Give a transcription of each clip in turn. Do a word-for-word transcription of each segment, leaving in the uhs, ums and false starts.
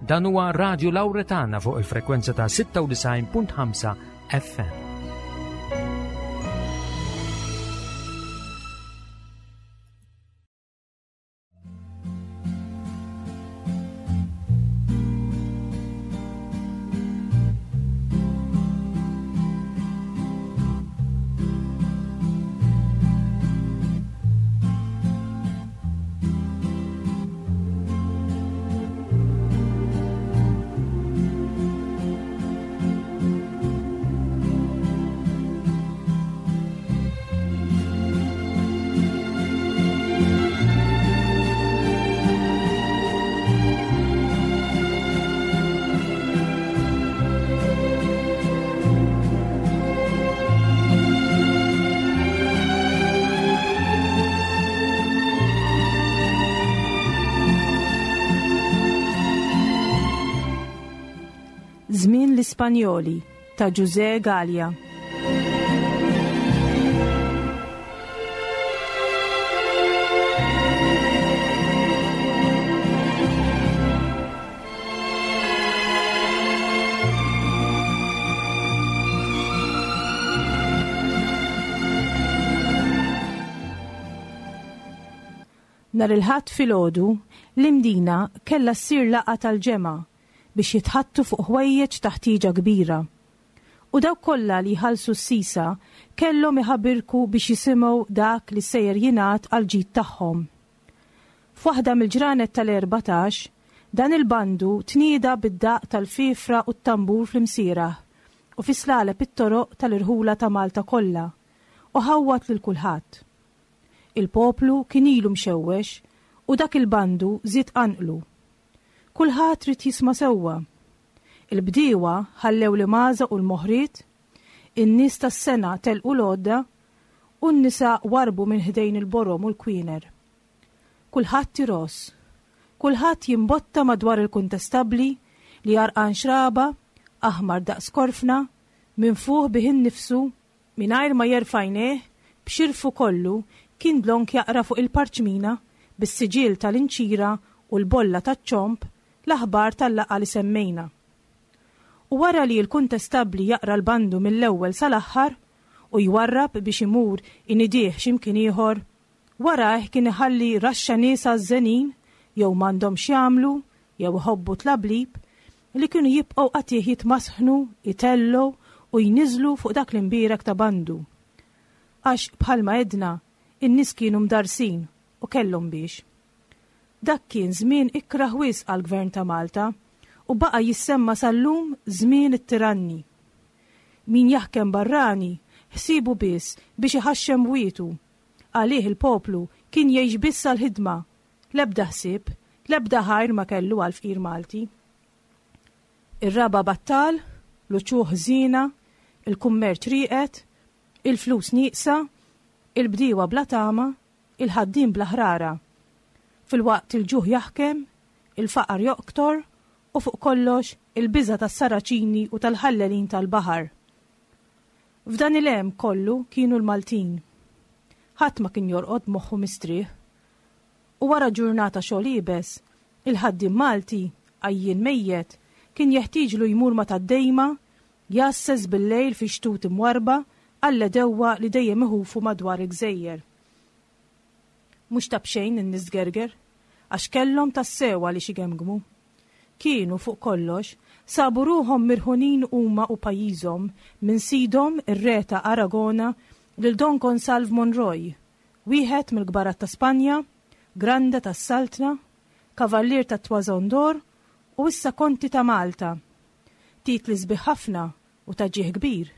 Dan huwa Radio Lauretana fuq il-frekwenza ta' sitta u disgħin punt ħamsa F M. Żmien l-Ispanjoli ta' Ġużè Galea. Nhar il-Ħadd filgħodu, l-Imdina kellha ssir laqgħa tal-ġemgħa biex jitħaddtu fuq ħwejjeġ ta' ħtieġa kbira. U dawk kollha li jħallsu s-sisa kellhom iħabirku biex jisimgħu dak li sejjer jingħad għal ġid tagħhom. F'waħda mill-ġranet tal-erbatax, dan il-bandu tnieda bid-daq tal-fifra u t-tambur fl-Imsiraħ u fi slaleb it-toroq tal-irħula ta' Malta kollha u ħawwad lil kulħadd. Il-poplu kien ilu mxewwex u dak il-bandu żied qanqlu. Kulħadd ried jisma' sewwa. Il-bdiewa ħallew l-imgħażaq u l-moħriet, in-nies tas-sengħa telqu l-għodda u n-nisa warbu minn ħdejn il-borom u l-kwiner. Kulħadd iross, kulħadd jimbotta madwar il-kuntestabli li għarqan xraba, aħmar daqs korfna, minfuħ bih innifsu, mingħajr ma jerfa' għajnejh, b'xirfu kollu kien dlonk jaqra fuq il-parċmina bis-siġil tal-inċira u l-bolla taċ-ċomb l-aħbar tal-laqgħa li semmejna. U wara li l-kuntestabli jaqra l-bandu mill-ewwel sal-aħħar u jwarrab biex imur inidih x'imkien ieħor, warajh kien iħalli raxxa nies għażżenin jew m'għandhom x'jagħmlu jew iħobbu tlablib li kienu jibqgħu qatigħ jitmasħnu, itellgħu u jniżlu fuq dak l-imbierek ta' bandu. Għax bħalma għedna, in-nies kienu mdarsin u kellhom biex. Dak kien żmien ikrah wisq għall-Gvern ta' Malta u baqa' jissemma sal-lum żmien it-tiranni. Min jaħkem barrani ħsibu biss biex iħaxxem bwietu. Għalih il-poplu kien jgħix biss għal-ħidma, l-ebda ħsieb, l-ebda ħajr ma kellu għal-fqir Malti. Ir-raba' battal, l-uċuħ ħżiena, il-kummerċ rieqed, il-flus nieqsa, il-bdiewa bla tama, il-ħaddiem bla ħrara. Filwaqt il-ġuħ jaħkem, il-faqar joktor u fuq kollox il-biża tas-Saraċini u tal-ħallelin tal-baħar. F'dan il-hemm kollu kienu l-Maltin. Ħadd ma kien jorqod moħħu mistrieħ. U wara ġurnata xogħol iebes, il-ħaddiem Malti, għajjien mejjet, kien jeħtieġlu jmur ma' tad-dejma, jgħasses bil-lejl fi xtut imwarba għall-għedewwa li dejjem iħufu madwar il-gżejjer. Mhux ta' b'xejn in-nies gerger, għax kellhom tassew għaliex igemgmu. Kienu fuq kollox, sabu ruħhom mirhunin huma u pajjiżhom minn sidhom ir-re ta' Aragona lil Don Gonsalv Monroy, wieħed mill-kbarat ta' Spanja, grande tas-Saltna, kavallier ta' Toison d'Or u issa konti ta' Malta. Titli sbieħ ħafna u ta' ġieħ kbir,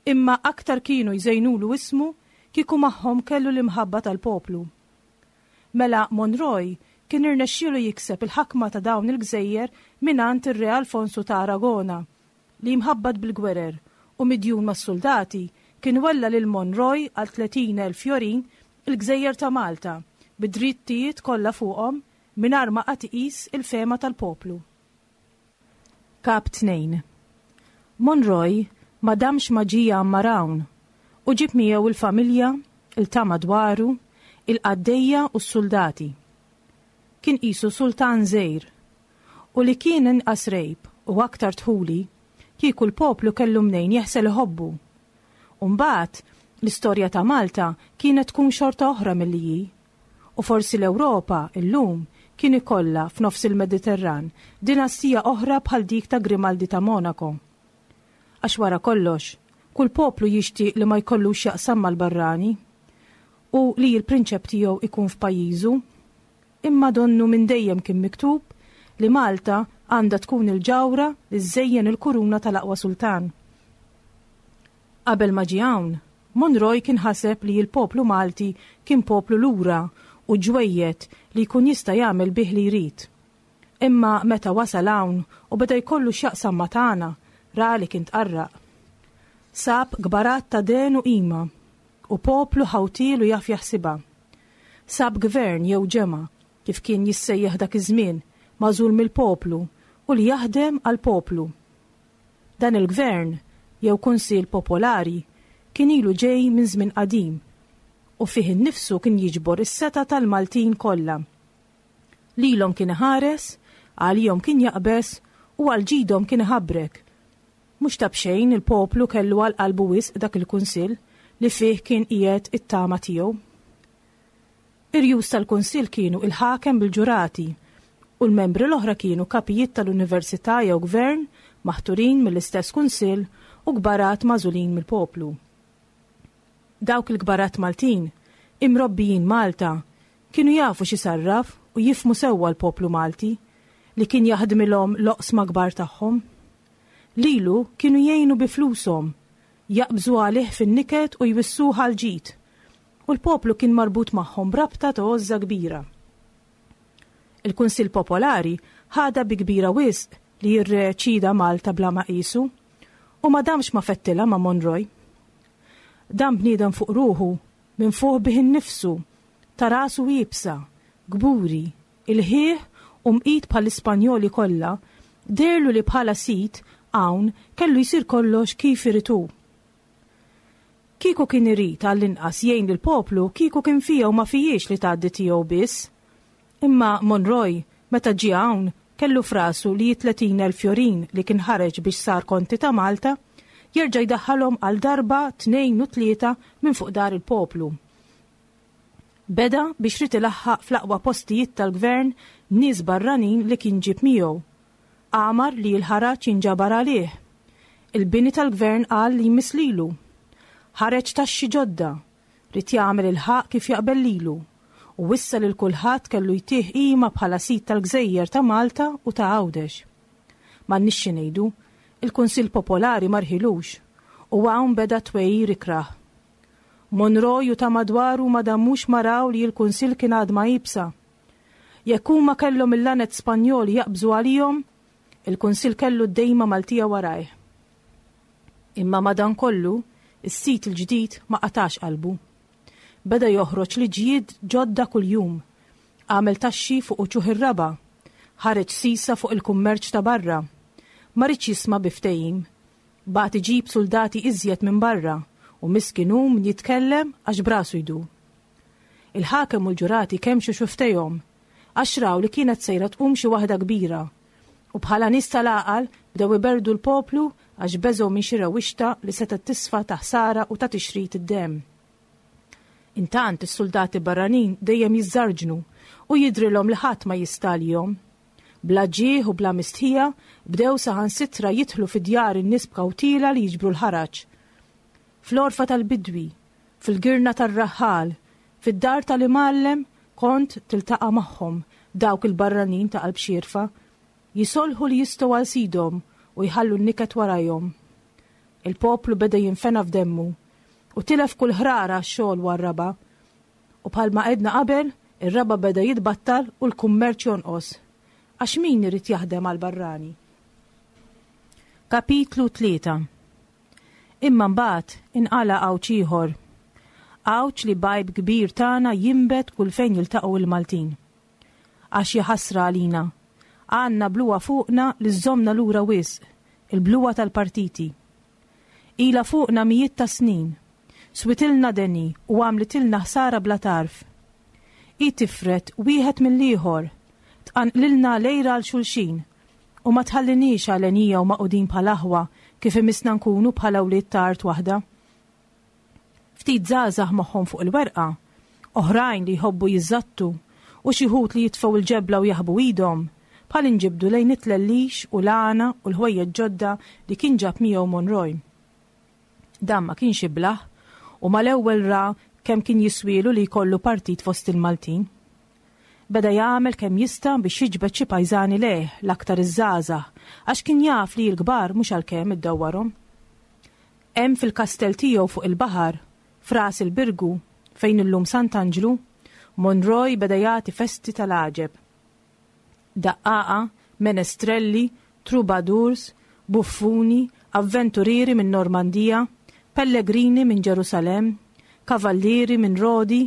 imma aktar kienu jżejnulu ismu kieku magħhom kellu l-imħabba tal-poplu. Mela Monroy kien irnexxielu jikseb il-ħakma ta' dawn il-gżejjer mingħand ir-Re Alfonso ta' Aragona li mħabbat bil-gwerer u midjun mas-soldati kien wella lil Monroy għal tletin elf fjorin il-gżejjer ta' Malta bid-drittijiet kollha fuqhom mingħajr ma qatt iqis il-fehma tal-poplu. Kap tnejn. Monroy ma damx ma ġie jgħammar hawn u ġib miegħu il-familja, il-ta' madwaru, il-qaddejja u s-soldati. Kien qisu sultan żgħir. U li kien inqas rejb u aktar dħuli, kieku l-poplu kellu mnejn jeħsel iħobbu. U mbagħad l-istorja ta' Malta kienet tkun xorta oħra milli hi. U forsi l-Ewropa illum kien ikollha f'nofs il-Mediterran dinastija oħra bħal dik ta' Grimaldi ta' Monaco. Għax wara kollox, kull poplu jixtieq li ma jkollux jaqsam mal-barrani u li l-prinċep tiegħu ikun f'pajjiżu. Imma donnu minn dejjem kien miktub li Malta għandha tkun il-ġawra li żżejjen il-kuruna tal-aqwa sultan. Qabel ma ġie hawn, Monroy kien ħaseb li l-poplu Malti kien poplu lura u ġwejjed li jkun jista' jagħmel bih li jrid. Imma meta wasal hawn u beda jkollu x'jaqsam ma' tagħna, ra li kien tqarraq. Sab kbarat ta' den u qima u poplu ħawtiel u jaf jaħsibha. Sab gvern jew ġemgħa, kif kien jissejjaħ dak iż-żmien, magħżul mill-poplu u li jaħdem għall-poplu. Dan il-gvern, jew kunsill popolari, kien ilu ġej minn żmien qadim u fih innifsu kien jiġbor is-setgħa tal-Maltin kollha. Lilhom kien iħares, għalihom kien jaqbeż u għal ġidhom kien iħabrek. Mhux ta' b'xejn il-poplu kellu għal qalbu wisq dak il-kunsill li fih kien qiegħed it-tama tiegħu. Ir-rjus tal-kunsill kienu il-ħakem bil-ġurati u l-membri l-oħra kienu kapijiet tal-università jew gvern maħturin mill-istess kunsill u kbarat magħżulin mill-poplu. Dawk il-kbarat Maltin, imrobbijin Malta, kienu jafu x'isarraf u jifhmu sewwa l-poplu Malti li kien jaħdmilhom l-oqsma kbar tagħhom. Lilu kienu jgħinu bi flushom, jaqbżu għalih fin-niket u jwissuh għall-ġid, u l-poplu kien marbut magħhom b'rabta ta' għożża kbira. Il-Kunsill Popolari ħadha bi kbira wisq li r-re ċida Malta bla ma qisu, u ma damx ma fettilha ma' Monroy. Dan bniedem fuq ruħu, minn fuq bih innifsu, ta' rasu iebsa, kburi, ilħieħ u mqit bħall-Ispanjoli kollha, deherlu li bħala sid hawn kellu jsir kollox kif irid hu. Kieku kien irid għall-inqas jgħin lill-poplu, kieku kien fija u ma fijiex li tgħaddi tiegħu biss. Imma Monroy, meta ġie hawn, kellu frasu li tletin elf fjorin li kien ħareġ biex sar konti ta' Malta, jerġa' jdaħħalhom għal darba, tnejn u tlieta minn fuq dar il-poplu. Beda biex rid ilaħħaq fl-aqwa postijiet tal-gvern nies barranin li kien ġib miegħu. Għamar li l-ħaraġ jinġabar għalih. Il-bini tal-gvern qal li jmiss lilu. Ħareġ taxxi ġodda, rid jagħmel il-ħaqq kif jaqbel lilu, u wissa lil kulħadd kellu jtih qima bħala sid tal-gżejjer ta' Malta u ta' Għawdex. M'għandniex xi ngħidu, il-Kunsill Popolari ma rħilux, u hawn beda twejjir ikrah. Monroy u ta' madwaru ma damux ma raw li l-Kunsill kien għad ma jibsa. Jekk huma kellhom il-lanet Spanjoli jaqbżu għalihom, il-Kunsill kellu d-dejma Maltija warajh. Imma madankollu, is-sit il-ġdid ma qatax qalbu. Beda joħroġ liġijiet ġodda kuljum, għamel taxxi fuq uċuħ ir-raba, ħareġ sisa fuq il-kummerċ ta' barra. Ma riedx jisma' bi ftehim, bagħat iġib soldati iżjed minn barra u miskin hu min jitkellem għax brasu jdur. Il-ħakem u l-ġurati kemxu xuftejhom għax raw li kienet sejra tqum xi waħda kbira u bħala nies tal-għaqal bdew iberdu l-poplu għax beżgħu minn xi rewwixta li setgħet tisfa ta' ħsara u ta' tixrid id-demm. Intant is-soldati barranin dejjem jiżżarġnu u jidrilhom li ħadd ma jista' għalihom. Bla ġieħ u bla mistħija bdew saħansitra jidħlu fi djar in-nies b'kawtila li jiġbru l-ħaraġ. Fl-orfa tal-bidwi, fil-girna tar-raħħal, fid-dar tal-imgħallem kont tiltaqa' magħhom dawk il-barranin ta' qalb xierfa, jisolħu li jistgħu għal sidhom u jħallu n-niket warajhom. Il-poplu beda jinfena f'demmu u tilef kull ħrara għax-xogħol war-raba. U bħalma għedna qabel, ir-raba beda jitbattal u l-kummerċ jonqos. Għax min irid jaħdem għal barrani? Kapitlu tlieta. Imma mbagħad inqala' għawġ ieħor. Għawġ li bajb kbir tagħna jinbet kull fejn jiltaqgħu il-Maltin. Għax jaħasra għalina. Għandna bluwa fuqna li żżomna lura wisq, il-bluwa tal-partiti. Ila fuqna mijiet ta' snin, switilna deni u għamlitilna ħsara bla tarf. I tifret wieħed mill-ieħor, tqanqlilna lejra għal xulxin, u ma tħalliniex għalenija u maqudin bħal aħwa kif imissna nkunu bħala wlied ta' art waħda. Ftit żgħażagħ moħħhom fuq il-werqa, oħrajn li jħobbu jiżżattu u xi wħud li jitfgħu l-ġebla u jaħbu idhom, bħal inġibdu lejn it-tlellix u l-għana u l-ħwejjeġ ġodda li kien ġab miegħu Monroy. Dan ma kienx iblah u mal-ewwel ra kemm kien jiswielu li jkollu partit fost il-Maltin. Beda jagħmel kemm jista' biex jiġbed xi pajżani lejh, l-aktar iż-żgħażagħ, għax kien jaf li l-kbar mhux għalkemm iddawwarhom. Hemm fil-kastell tiegħu fuq il-baħar, f'Ras il-Birgu, fejn illum Sant'Anġlu, Monroy beda jagħti festi tal-għaġeb. Daqqaqa, menestrelli, troubadours, buffuni, avventurieri minn Normandija, pellegrini minn Ġerusalemm, kavallieri minn Rodi,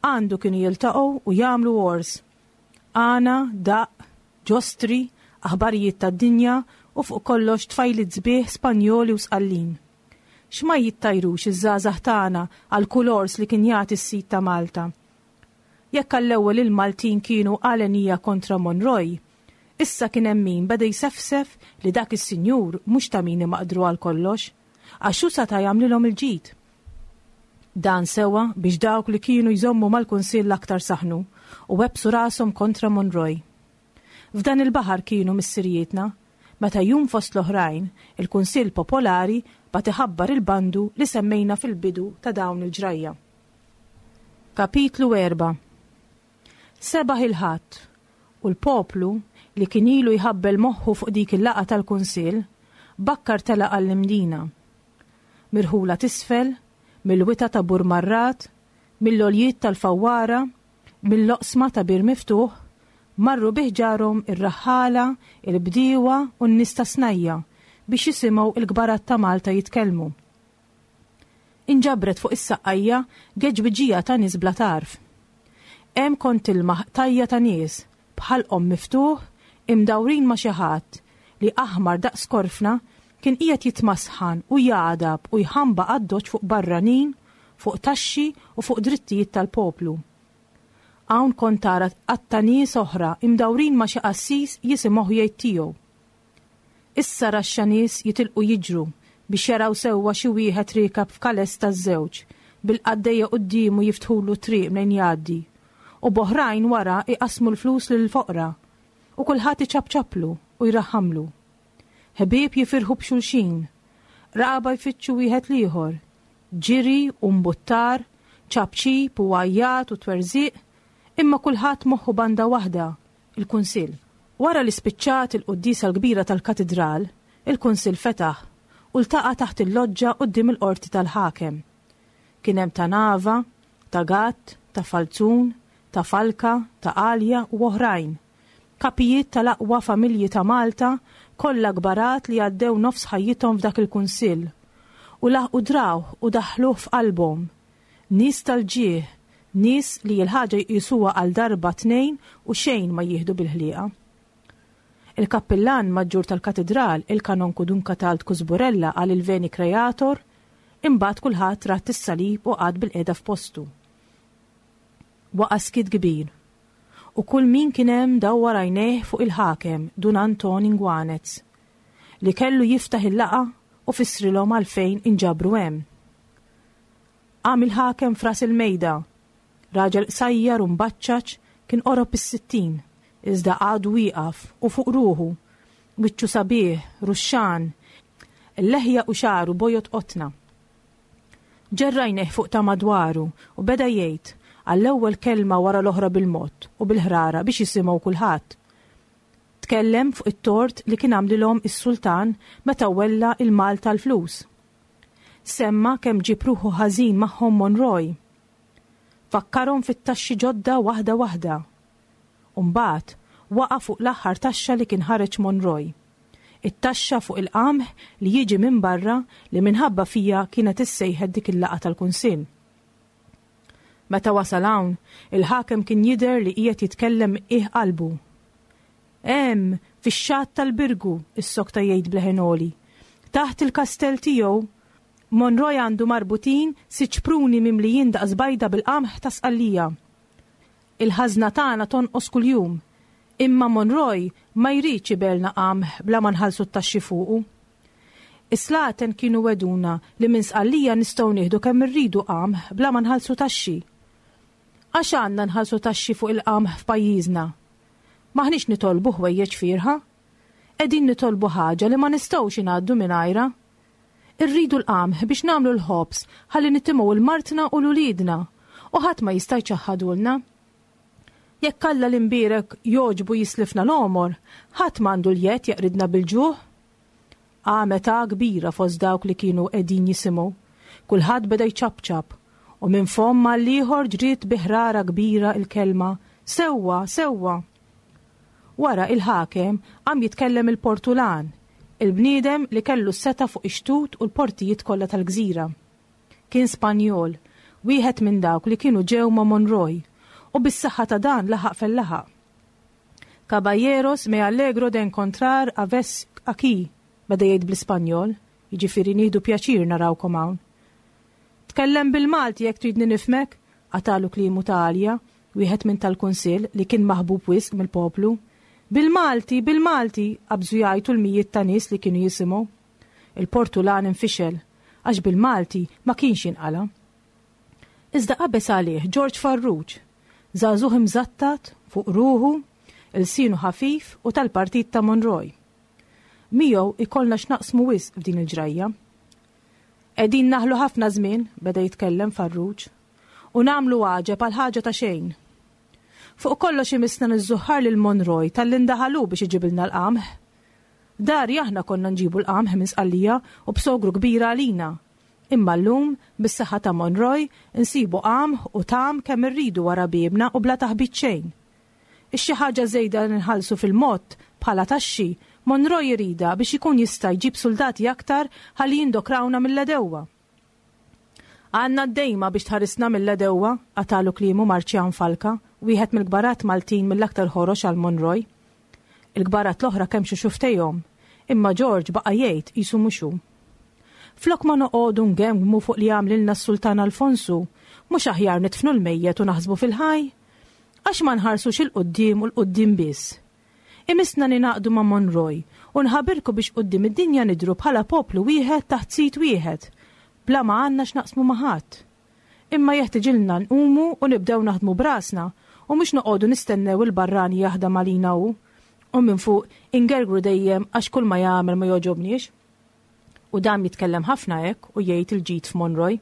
għandu kienu jiltaqgħu u jagħmlu wars. Għana, daqq, ġostri, aħbarijiet tad-dinja u fuq kollox tfajliet sbieħ Spanjoli u Sqallin. X'ma jittajrux iż-żgħażagħ tagħna għal kull ors li kien jagħti s-sid ta' Malta. Jekk għall-ewwel il-Maltin kienu għalenija kontra Monroy, issa kien hemm min beda jsefsef li dak is-sinjur mhux ta' min imaqdru għal kollox, għax hu seta' jagħmlilhom il-ġid. Dan sewa biex dawk li kienu jżommu mal-Kunsill aktar saħnu u webbsu rashom kontra Monroy. F'dan il-baħar kienu missirijietna, meta jum fost l-oħrajn, il-Kunsill Popolari bagħat iħabbar il-bandu li semmejna fil-bidu ta' dawn il-ġrajja. Kapitlu erba'. Sebaħ il-Ħadd u l-poplu li kien ilu jħabbel moħħu fuq dik il-laqgħa tal-Kunsill bakkar telaq għall-Imdina. Mirħula t'isfel, mill-wita ta' Burmarrat, mill-għoljiet tal-Fawwara, mill-oqsma ta' Bir Miftuħ, marru bi ħġarhom ir-raħħala, il-bdiewa u n-nies ta' snajja biex jisimgħu l-kbarat ta' Malta jitkellmu. Inġabret fuq is-saqqajja geġbiġija ta' nies bla tarf. Hemm kont tilmaħ qtajja ta' nies b'ħalqhom miftuħ imdawrin ma' xi ħadd li aħmar daqs korfna kien qiegħed jitmasħan u jagħdab u jħambaq għad-doċ fuq barranin, fuq taxxi u fuq drittijiet tal-poplu. Hawn kont tara qatta nies oħra imdawrin ma' xi qassis jisimgħuh jgħid tiegħu. Issa raxxa nies jitilqu jiġru biex jaraw sewwa xi wieħed riekab f'kales taż-żewġ, bil-qaddejja quddiemu jiftħulu triq mnejn jgħaddi, u b'oħrajn wara iqassmu l-flus lill-foqra, u kulħadd iċapċaplu u jraħħamlu. Ħbieb jifirħu b'xulxin, raqaba jfittxu wieħed l-ieħor, ġiri u mbuttar, ċapċip u għajjat u twerżiq, imma kulħadd moħħu banda waħda, il-Kunsill. Wara li spiċċat il-quddiesa l-kbira tal-katidral, il-Kunsill fetaħ u ltaqa' taħt il-loġġa quddiem il-qorti tal-ħakem. Kien hemm ta' Nava, ta' Gatt, ta' Falzun, ta' Falka, ta' Għalja u oħrajn. Kapijiet tal-aqwa familji ta' Malta, kollha kbarat li għaddew nofs ħajjithom f'dak il-kunsill u laħqu drawh u daħħluh f'qalbhom. Nies tal-ġieħ, nies li l-ħaġa jqisuha għal darba tnejn u xejn ma jieħdu bil-ħlieqa. Il-kappillan maġġur tal-katidral, il-kanonku Dun Katald Kuzburella qal il-Veni Creator, imbagħad kulħadd ratt is-salib u qagħad bil-qiegħda f'postu. Waqa' skiet kbir, u kull min kien hemm dawwar għajnejh fuq il-ħakem Dun Anton Ingwanez, li kellu jiftaħ il-laqgħa u fissrilhom għalfejn inġabru hemm. Qam il-ħakem f'ras il-mejda, raġel qsajjar u mbaċċaċ kien qorob is-sittin, iżda għadu wieqaf u fuq ruħu, wiċċu sabiħ, ruxxan, il-leħja u xagħru bojod qotna. Ġerrajneh fuq ta' madwaru u beda jgħid għall-ewwel kelma wara l-oħra bil-mod u bil-ħrara biex jisimgħu kulħadd. Tkellem fuq it-tort li kien għamlilhom is-sultan meta wella il-Malta l-flus. Semma kemm ġib ruħu ħażin magħhom Monroy. Fakkarhom fit-taxxi ġodda waħda waħda. U mbagħad waqa' fuq l-aħħar taxxa li kien ħareġ Monroy. It-taxxa fuq il-qamħ li jiġi minn barra li minħabba fija kienet issejħet dik il-laqgħa tal-Kunsill. Meta wasal hawn, il-ħakem kien jidher li qiegħed jitkellem qiegħ qalbu. Hemm, fix-xatt tal-Birgu, is-sokta jgħid bleħen għoli. Taħt il-kastell tiegħu, Monroy għandu marbutin sitt ċpruni mimlijin daqs bajda bil-qamħ ta' Sqallija. Il-ħażna tagħna tonqos kuljum. Imma Monroy ma jridx ibelna qamħ bla ma nħallsu t-taxxi fuqu. Is-slaten kienu weduna li minn Sqallija nistgħu nieħdu kemm irridu qamħ bla ma nħallsu taxxi. Għax għandna nħallsu taxxi fuq il-qamħ f'pajjiżna? M'aħniex nitolbu ħwejjeġ fierħa. Qegħdin nitolbu ħaġa li ma nistgħux ingħaddu mingħajrha. Irridu l-qamħ biex nagħmlu l-ħobż ħalli nitimgħu l-martna u l-uliedna u ħadd ma jista' jċaħħadulna. Jekk Alla l-imbierek jogħġbu jislifna l-għomor, ħadd m'għandu l-jedd jeqridna bil-ġuħ. Qamet għagħa kbira fost dawk li kienu qegħdin jisimgħu. Kulħadd beda jċapċap u minn fomm għall-ieħor ġriet bi ħrara kbira il-kelma sewwa, sewwa. Wara il-ħakem qam jitkellem il-Portulan, il-bniedem li kellu s-setgħa fuq ix-xtut u l-portijiet kollha tal-gżira. Kien Spanjol, wieħed minn dawk li kienu ġew ma' Monroy, u bis-saħħa ta' dan laħaq fejn laħaq. "Caballeros, me alegro de encontrar a ves aquí", beda jgħid bl-Ispanjol, jiġifieri nieħdu pjaċir narawkom hawn. "Tkellem bil-Malti jekk tridni nifhmek", qatagħlu kliemu ta' għalja, wieħed minn tal-Kunsill li kien maħbub wisq mill-poplu. "Bil-Malti, bil-Malti", qabżu jgħajtu l-mijiet ta' nies li kienu jisimgħu. Il-Portulan infixel, għax bil-Malti ma kienx jinqala. Iżda qabeż għalih George Farrugia, żagħżugħ imżattat fuq ruħu, ilsienu ħafif u tal-partit ta' Monroy. Miegħu ikollna x'naqsmu wisq f'din il-ġrajja. "Qegħdin naħlu ħafna żmien", beda jitkellem Farrugia, "u nagħmlu għaġeb għal ħaġa ta' xejn. Fuq kollox imissna niżżuħħar lil Monroy talli ndaħalu biex iġibilna l-qamħ. Dari aħna konna nġibu l-qamħ minn Sqallija u b'sogru kbira għalina. Imma llum, bis-saħħa ta' Monroy, insibu qamħ u tgħam kemm irridu wara biebna u bla taħbit xejn. Ix-xi ħaġa żejda nħallsu fil-mod bħala taxxi, Monroy jridha biex ikun jista' jġib soldati aktar ħalli jindokrawna mill-għedewwa." "Għandna d-dejma biex tħarisna mill-għedewwa", qatagħlu kliemu Marċjan Falka, wieħed mill-kbarat Maltin mill-aktar ħorox għal Monroy. Il-kbarat l-oħra kemmxu xufftejhom, imma George baqa' jgħid qisu mhux hu. "Flok ma noqogħdu ngemgmu fuq li għamlilna s-Sultan Alfonsu, mhux aħjar nidfnu l-mejjet u naħsbu fil-ħaj? Għax ma nħarsux 'il quddiem u 'l quddiem biss? Imissna ningħaqdu ma' Monroy u nħabirku biex quddiem id-dinja nidhru bħala poplu wieħed taħt sid wieħed, bla ma għandna x'naqsmu ma' ħadd. Imma jeħtiġilna nqumu u nibdew naħdmu brasna u mhux noqogħdu nistennew il-barrani jaħdem għalina hu u minn fuq ingergru dejjem għax kull ma jagħmel ma jogħġobniex." U dam jitkellem ħafna hekk u jgħid il-ġid f'Monroy.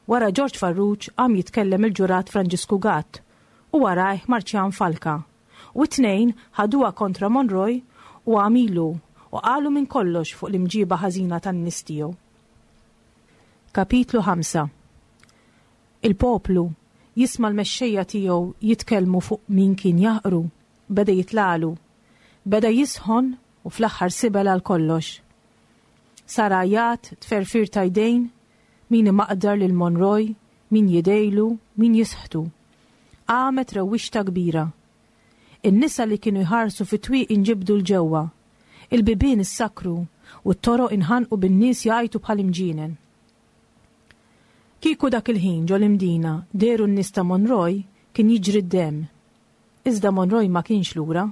Wara George Farrugia qam jitkellem il-ġurat Franġisku Gatt u warajh Marċjan Falka. U t-tnejn ħaduha kontra Monroy u għamilu u qalu minn kollox fuq l-imġiba ħażina tan-nies tiegħu. Kapitlu ħamsa. Il-poplu jisma' l-mexxejja tiegħu jitkellmu fuq min kien jaħqru, beda jitlalu, beda jisħon u fl-aħħar sibel għal kollox. Sar għajat, tferfir ta' jdejn, min imaqdar lil Monroy, min jidgħilu, min jisħtu. Qamet rewwixta kbira. In-nisa li kienu jħarsu fit-twieqi inġibdu 'l ġewwa. Il-bibien issakru u t-toroq inħanqu bin-nies jgħajtu bħal imġienen. Kieku dak il-ħin ġo l-Imdina dehru n-nies ta' Monroy, kien jiġri d-dem. Iżda Monroy ma kienx lura.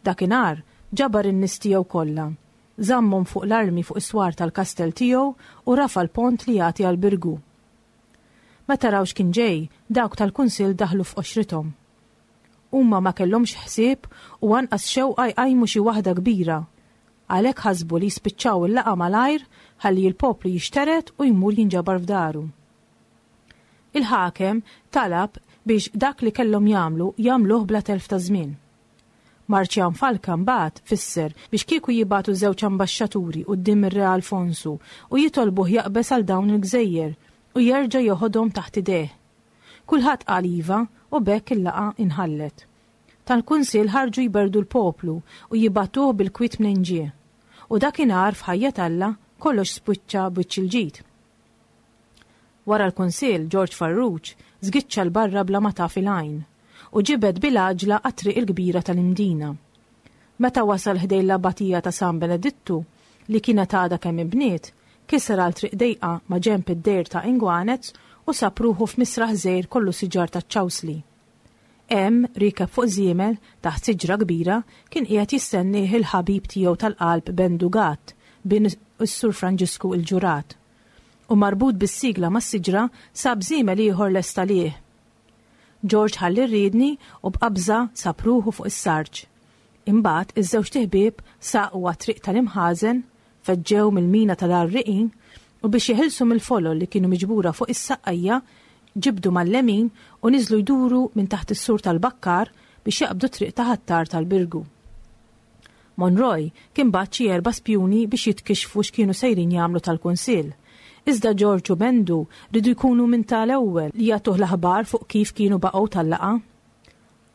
Dakinhar ġabar in-nies tiegħu kollha. Żammhom fuq l-armi fuq is-swar tal-kastell tiegħu u rafa l-pont li jagħti għal-Birgu. Meta raw x'kien ġej, dawk tal-kunsill daħlu f'qoxrithom. Huma ma kellhomx ħsieb u anqas xewqa jqajmu xi waħda kbira. Għalhekk ħasbu li jispiċċaw il-laqgħa malajr ħalli l-poplu jixteret u jmur jinġabar f'daru. Il-ħakem talab biex dak li kellhom jagħmlu jagħmluh bla telf ta' żmien. Marċjan Falka mbagħad fisser biex kieku jibagħtu żewġ ambaxxaturi quddiem ir-Re Alfonsu u jitolbuh jaqbeż għal dawn il-gżejjer u jerġa' joħodhom taħt idejh. Kulħadd qal iva u b'hekk il-laqgħa inħallet. Tal-kunsill ħarġu jberdu l-poplu u jibagħtuh bil-kwiet mnejn ġie. U dakinhar f'ħajja Alla kollox spiċċa b'wiċċ il-ġid. Wara l-kunsill, George Farrugia żgiċċa 'l barra bla ma taf il-għajn u ġibed bil-għaġla għat-triq il-kbira tal-Imdina. Meta wasal ħdejn l-abatija ta' San Benedittu, li kienet għadha kemm inbniet, kiser għal triq dejqa ma' ġenb id-dejr ta' Ingwanez u sab ruħu f'misraħ żgħir kollu siġar ta' ċawsli. Hemm, riekeb fuq żiemel, taħt siġra kbira, kien qiegħed jistennieh il-ħabib tiegħu tal-qalb Bendu Gatt, bin is-Sur Franġisku il-Ġurat. U marbut bis-sigla mas-siġra sab żiemel ieħor lest għalih. George ħall ir-riedni u b'qabża sab ruħu fuq is-sarġ. Imbagħad iż-żewġt iħbieb saqu għat-triq tal-imħażen, feġġew mill-mina tal-għarriqin u biex jeħilsu mill-folol li kienu miġbura fuq is-saqqajja, ġibdu mal-lemin u niżlu jduru minn taħt is-sur tal-bakkar biex jaqbdu triq ta' Ħattar tal-Birgu. Monroy kien bagħat xi erba' spjuni biex jitkixxfu x'kienu sejrin jagħmlu tal-Kunsill. Iżda George u Bendu riedu jkunu minn tal-ewwel li jagħtuh l-aħbar fuq kif kienu baqgħu tal-laqgħa.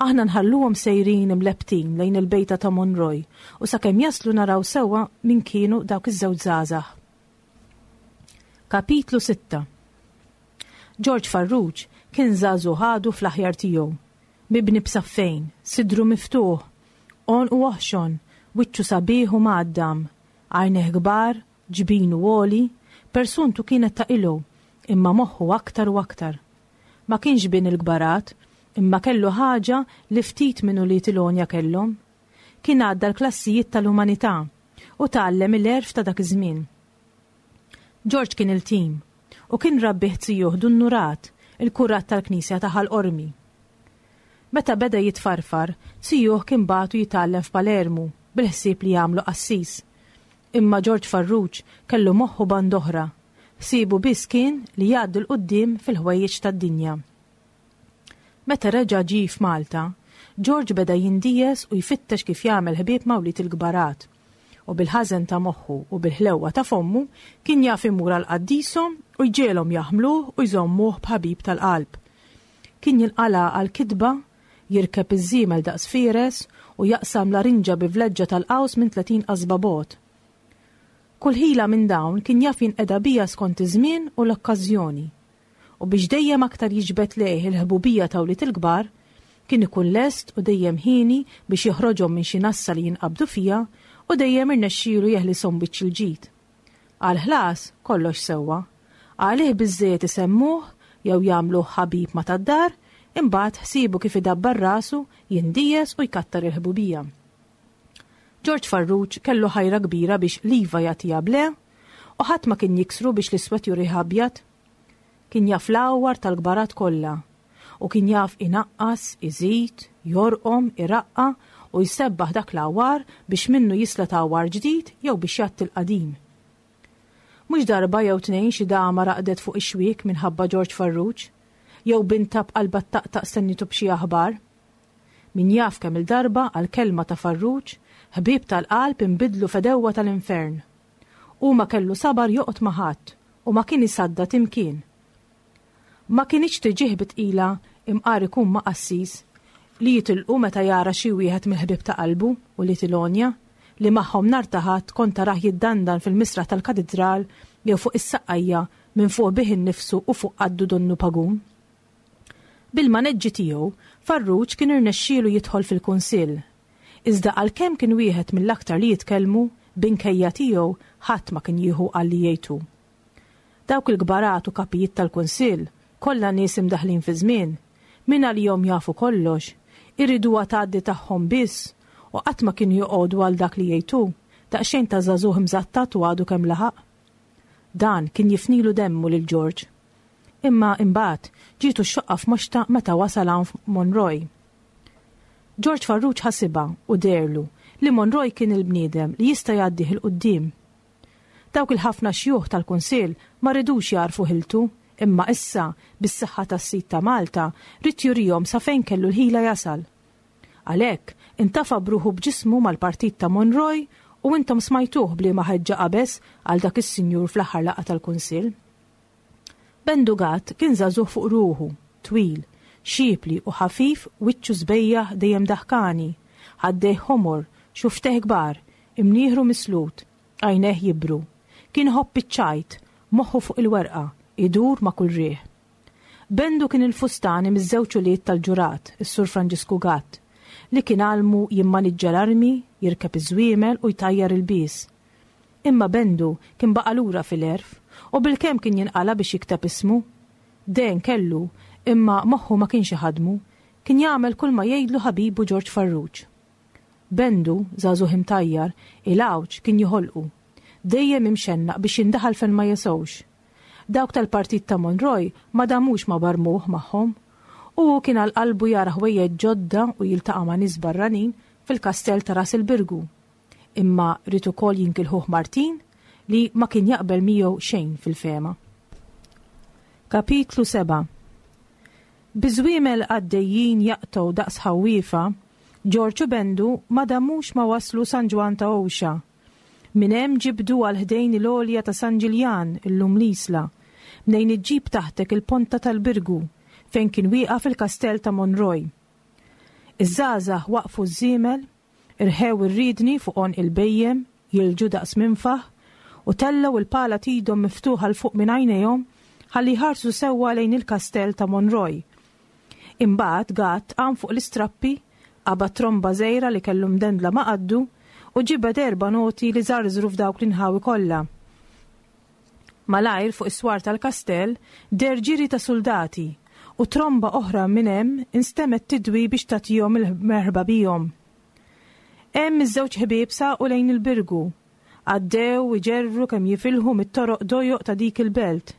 Aħna nħalluhom sejrin imlebbtin lejn il-bejta ta' Monroy u sakemm jaslu naraw sewwa min kienu dawk iż-żewġ żgħażagħ. Kapitlu sitta. George Farrugia kien żagħżugħ għadu fl-aħjar tiegħu, mibni b'saffejn, sidru miftuħ, għonqu oħxon, wiċċu sabiħ u mgħaddam, għajnejh kbar, ġbinu għoli, persuntu kienet ta' ilu, imma moħħu aktar u aktar. Ma kienx bin il-kbarat, imma kellu ħaġa li ftit minn ulied il-għonja kellhom. Kien għadda l-klassijiet tal-umanità u tgħallem il-għerf ta' dak iż-żmien. George kien il-tim u kien rabbih zijuh Dun Nurat, il-kurat tal-knisja ta' Ħal Qormi. Meta beda jitfarfar, zijuh kien bagħtu jitgħallem f'Palermu bil-ħsieb li jagħmlu qassis. Imma George Farrugia kellu moħħu band oħra. Ħsiebu biss kien li jgħaddi 'l quddiem fil-ħwejjeġ tad-dinja. Meta reġa' ġie f'Malta, George beda jindijes u jfittex kif jagħmel ħbieb ma' wlied il-kbarat. U bil-ħażen ta' moħħu u bil-ħlewwa ta' fommu kien jaf imur għal qaddishom u jġiegħelhom jaħmluh u jżommuh b'ħabib tal-qalb. Kien jinqala' għal kitba, jirkeb iż-żiemel daqs fieres u jaqsam larinġa bi vleġġa tal-qaws minn tletin qasba bogħod. Kull ħila minn dawn kien jaf jinqeda bija skont iż-żmien u l-okkażjoni. U biex dejjem aktar jiġbed lejh il-ħbubija ta' wlied il-kbar, kien ikun lest u dejjem ħieni biex joħroġhom minn xi nassa li jinqabdu fija u dejjem irnexxielu jeħlishom biċ il-ġid. Għal ħlas kollox sewwa. Għalih biżżejjed isemmuh jew jagħmluh ħabib ma' tad-dar, imbagħad ħsiebu kif idabbar rasu, jindijes u jkattar il-ħbubija. George Farrugia kellu ħajra kbira biex l-iva jagħtiha b'le u ħadd ma kien jiksru biex l-iswed jurih abjad. Kien jaf l-għawar tal-kbarat kollha u kien jaf inaqqas, iżid, jorqom, iraqqa u jsebbaħ dak l-għawar biex minnu jisla għawar ġdid jew biex jgħatti l-qadim. Mhux darba jew tnejn xi dama raqdet fuq ix-xwiek minħabba George Farrugia, jew binta b'qalba taqtaq stennitu b'xi aħbar. Min jaf kemm il-darba għal kelma ta' Farrugia, ħbieb tal-qalb inbidlu fedewwa tal-infern. U ma kellu sabar joqgħod ma' ħadd u ma kien isadda timkien. Ma kienx tiġih bitqila imqar ikun ma' qassis li jitilqu meta jara xi wieħed mill-ħbieb ta' qalbu u li tilonja li magħhom nhar ta' Ħadd kont tarah jiddandan fil-misraħ tal-katidral jew fuq is-saqqajja minn fuq bih innifsu u fuq qaddu donnu pagun. Bil-maneġġi tiegħu, Farrugia kien irnexxielu jidħol fil-kunsill. Iżda għalkemm kien wieħed mill-aktar li jitkellmu, binkejja tiegħu ħadd ma kien jieħu għal li jgħidu. Dawk il-kbarat u kapijiet tal-kunsill, kollha nies imdaħlin fi żmien, min għalihom jafu kollox, iriduha tgħaddi tagħhom biss u qatt ma kienu joqogħdu għal dak li jgħidu, daqsxejn ta' żagħżugħ imżattat u għadu kemm laħaq. Dan kien jifnilu demmu lil George. Imma imbagħad ġietu x-xoqqa f'moxta meta wasal hawn Monroy. George Farrugia ħasibha u derlu li Monroy kien il-bniedem li jista' jgħaddih 'il quddiem. Dawk il-ħafna xjuħ tal-kunsill ma ridux jarfu ħiltu, imma issa bis-saħħa tas-sid ta' Malta rid jurihom sa fejn kellu l-ħila jasal. Għalhekk intafa' bruħu b'ġismu mal-partit ta' Monroy u intom smajtuh b'liema ħeġġa qabeż għal dak is-sinjur fl-aħħar laqgħa tal-kunsill. Bendu Gatt kien żagħżugħ fuq ruħu, twil, xipli u ħafif, wiċċu sbejjaħ dejjem daħkani, ħaddejh ħomor, xufteh kbar, imnieħru mislut, għajnejh jibru. Kien ħobb iċ-ċajt, moħħu fuq il-werqa, idur ma' kull riħ. Bendu kien il-fustani miż-żewġ ulied tal-ġurat, is-Sur Franġisku Gatt, li kien għalmu jimmaniġġa l-armi, jirkeb iż-żwiemel u jtajjar il-bies. Imma Bendu kien baqa' lura fil-għerf u bilkemm kien jinqala biex jikteb ismu. Den kellu, imma moħħu ma kienx iħadmu, Kien jagħmel kull ma jgħidlu ħabibu Ġorġ Farruġ. Bendu, żagħżugħ imtajjar, il-għawġ kien joħolqu. Dejjem imxennaq biex jindaħal fejn ma jesgħux. Dawk tal-partit ta' Monroy ma damux ma barmuh magħhom. U hu kien għal qalbu jara ħwejjeġ ġodda u jiltaqa' ma' nies barranin fil-kastell ta' Ras il-Birgu. Imma ried ukoll jinkilħuh Martin li ma kien jaqbel miegħu xejn fil-fehma. Kapitlu sebgħa. Biż-żwiemel għaddejjin jaqtgħu daqs ħawwiefa, Ġorġ u Bendu ma damux ma waslu San Ġwann ta' Għuxa. Minn hemm ġibdu għal ħdejn il-għolja ta' San Ġiljan, illum l-Isla, mnejn iġġib taħtek il-Ponta tal-Birgu, fejn kien wieqaf il-kastell ta' Monroy. Iż-żgħażagħ waqfu ż-żiemel, irħew ir-riedni fuq għonq il-bhejjem, jilġu daqs minfaħ, u tellgħu il-pala t'idhom miftuħa 'l fuq minn għajnejhom ħalli jħarsu sewwa lejn il-kastell ta' Monroy. Imbagħad Gatt qam fuq l-istrappi, qabad tromba żgħira li kellu mdendla ma' qaddu u ġibed erba' noti li żarżru f'dawk l-inħawi kollha. Malajr fuq is-swar tal-kastell deher ġiri ta' suldati u tromba oħra minn hemm instemgħet tidwi biex tagħtihom il-merħba bihom. Hemm iż-żewġ ħbieb saqu lejn il-Birgu. Għaddew iġerru kemm jifilħu mit-toroq dojoq ta' dik il-belt.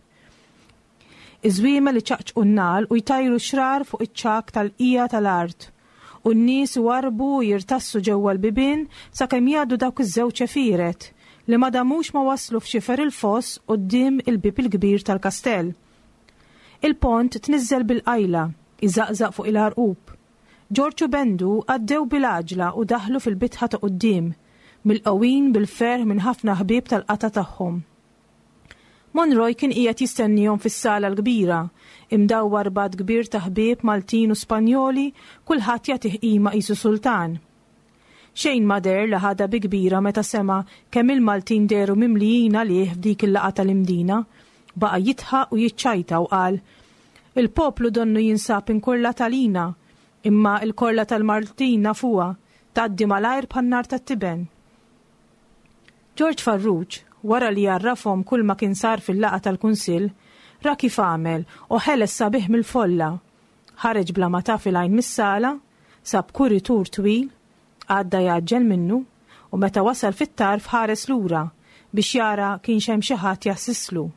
Iż-żwiemel iċaqċqu n-nagħal u jtajru xrar fuq iċ-ċagħak tal-qiegħa tal-art, u n-nies iwarrbu u jirtassu ġewwa l-bibien sakemm jgħaddu dawk iż-żewġ għefieret, li ma damux ma waslu f'xifer il-foss quddiem il-bieb il-kbir tal-kastell. Il-pont tniżżel bil-qajla, iżaqżaq fuq il-għarqub. Ġorġ u Bendu għaddew bil-għaġla u daħlu fil-bitħa ta' quddiem, milqgħuin bil-ferħ minn ħafna ħbieb tal-qatgħa tagħhom. Monroy kien qiegħed jistennihom fis-sala l-kbira, imdawwar b'għadd kbir ta' ħbieb Maltin u Spanjoli, kulħadd jagħtih qima qisu sultan. Xejn ma deher li ħadha bi kbira meta sema' kemm il-Maltin dehru mimlijin għalih f'dik il-laqgħa tal-Imdina. Baqa' jidħaq u jiċċajta u qal, Il-poplu donnu jinsab inkurlat għalina, imma l-korla tal-Maltin nafuha, tgħaddi malajr bħan-nar tat-tiben. Ġorġ Farruġ, wara li għarrafhom kull ma kien sar fil-laqgħa tal-Kunsill, ra kif għamel u ħeles sabiħ mill-folla. Ħareġ bla ma taf il-għajn mis-sala, sab kuritur twil, għadda jgħaġġel minnu, u meta wasal fit-tarf ħares lura biex jara kienx hemm xi ħadd jassislu.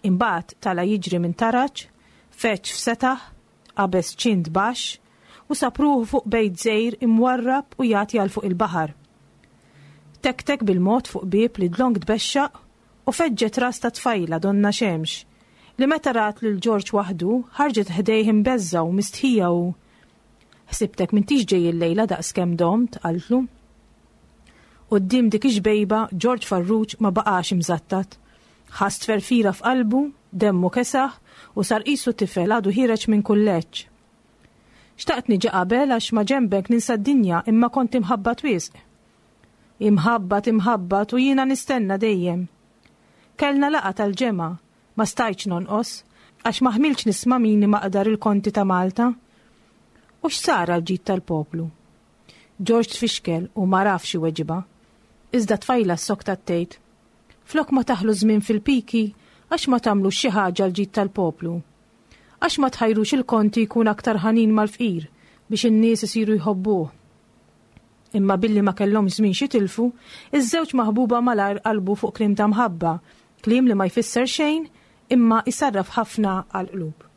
Imbagħad tala' jiġri minn taraġ, feġġ f'setaħ, qabeż ċint baxx, u sab ruħu fuq bejt żgħir imwarrab u jagħti għal fuq il-baħar. Tektek bil-mod fuq bieb li dlonk tbexxaq u feġġet ras ta' tfajla donnha xemx, li meta rat lil Ġorġ waħdu ħarġet ħdejh imbeżżgħa u mistħija u Ħsibtek m'intix ġej illejla daqskemm domt, qaltlu. Quddiem dik ix-xbejba Ġorġ Farruġ ma baqax imżattat. Ħass tferfira f'qalbu, demmu kesaħ u sar qisu tifel għadu ħiereġ minn kulleġġ. Xtaqt niġi qabel għax ma' ġenbek ninsa d-dinja imma kont imħabbat wisq. Imħabbat, imħabbat u jiena nistenna dejjem. Kellna laqgħa tal-ġemgħa, ma stajtx nonqos, għax ma ħmiltx nisma' min imaqdar il-konti ta' Malta. U x'sar għall-ġid tal-poplu? Ġorġ tfixkel u ma għarafx iweġibha. Iżda t-tfajla ssoktat tgħid, Flok ma taħlu ż-żmien fil-piki, għax ma tagħmlux xi ħaġa għall-ġid tal-poplu? Għax ma tħajrux il-konti jkun aktar ħanin mal-fqir biex in-nies isiru jħobbuh? Imma billi ma kellhomx żmien x'jitilfu, iż-żewġ maħbuba malajr qalbu fuq kliem ta' mħabba, kliem li ma jfisser xejn imma jsarraf ħafna għall-qlub.